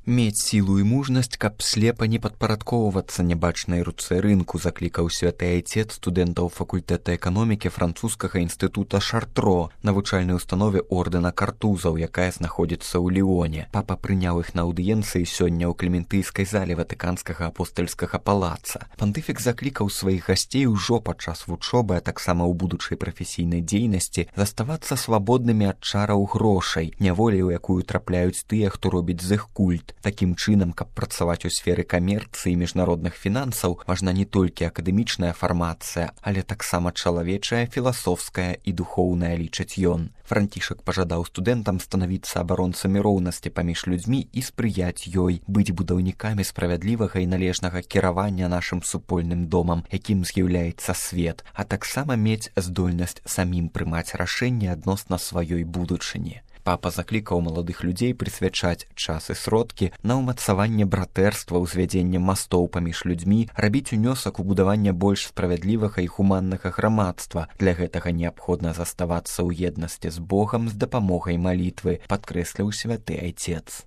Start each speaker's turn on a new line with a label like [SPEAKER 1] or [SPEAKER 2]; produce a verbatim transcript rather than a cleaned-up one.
[SPEAKER 1] Мець сілу і мужнасць, каб слепа не падпарадкоўвацца нябачнай руцэ рынку, заклікаў святы айцец студэнтаў факультэта эканомікі французскага інстытута Шартро, навучальнай установе ордэна картузаў, якая знаходзіцца ў Ліоне. Папа прыняў іх на аўдыенцыі сёння ў клементыйскай зале ватыканскага апостальскага палаца. Пантыфік заклікаў сваіх гасцей ужо падчас вучобы, а таксама ў будучай прафесійнай дзейнасці заставацца свабоднымі ад чараў грошай, няволі, у якую трапляюць тыя, хто робіць з іх культ. Такім чынам, каб працаваць у сферы камерцыі і міжнародных фінансаў, важна не толькі акадэмічная фармацыя, але таксама чалавечая, філасофская і духоўная, лічыць ён. Францішак пажадаў студэнтам станавіцца абаронцамі роўнасці паміж людзьмі і спрыяць ёй, быць будаўнікамі справядлівага і належнага кіравання нашым супольным домам, якім з'яўляецца свет, а таксама мець здольнасць самім прымаць рашэнні адносна сваёй будучыні. Папа заклікаў маладых людзей прысвячаць час і сродкі на ўмацаванне братэрства, ўзвядзенне мастоў паміж людзьмі, рабіць унёсак у будаванне больш справядлівага і гуманнага грамадства. Для гэтага неабходна заставацца ў еднасці з Богам з дапамогай малітвы, падкрэсліў святы айцец.